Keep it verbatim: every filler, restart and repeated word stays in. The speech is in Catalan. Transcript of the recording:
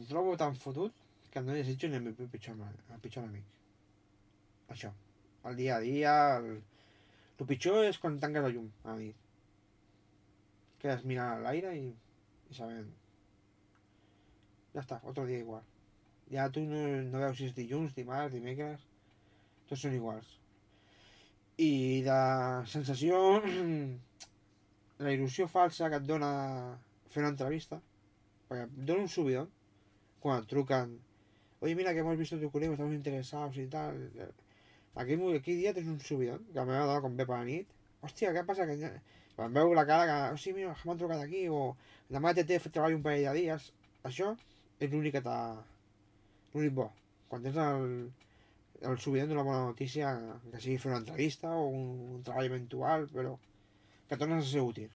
trobo tan fotut que no desitjo ni el meu pitjor, el pitjor enemic. Això. El dia a dia, el... el pitjor és quan tanques la llum a la nit. Quedes mirant a l'aire i, i sabent. Ja està, otro dia igual. Ja tu no, no veus si és dilluns, dimarts, dimecres, tots són iguals. I de sensació, la il·lusió falsa que et dona fer una entrevista, perquè et dona un subidón quan et truquen, oye, mira que hemos visto tu currículum, estamos interesados y tal. Aquell, aquell dia tens un subidón, que a la meva dona quan ve per la nit, hòstia, què passa? Que quan veu la cara que, oh, sí, mira, m'han trucat aquí, o demà t'he fet treballar un parell de dies, això és l'únic que t'ha... l'únic bo. Quan tens el, el subidón d'una bona notícia, que sigui fer una entrevista o un, un treball eventual, però que tornes a ser útil.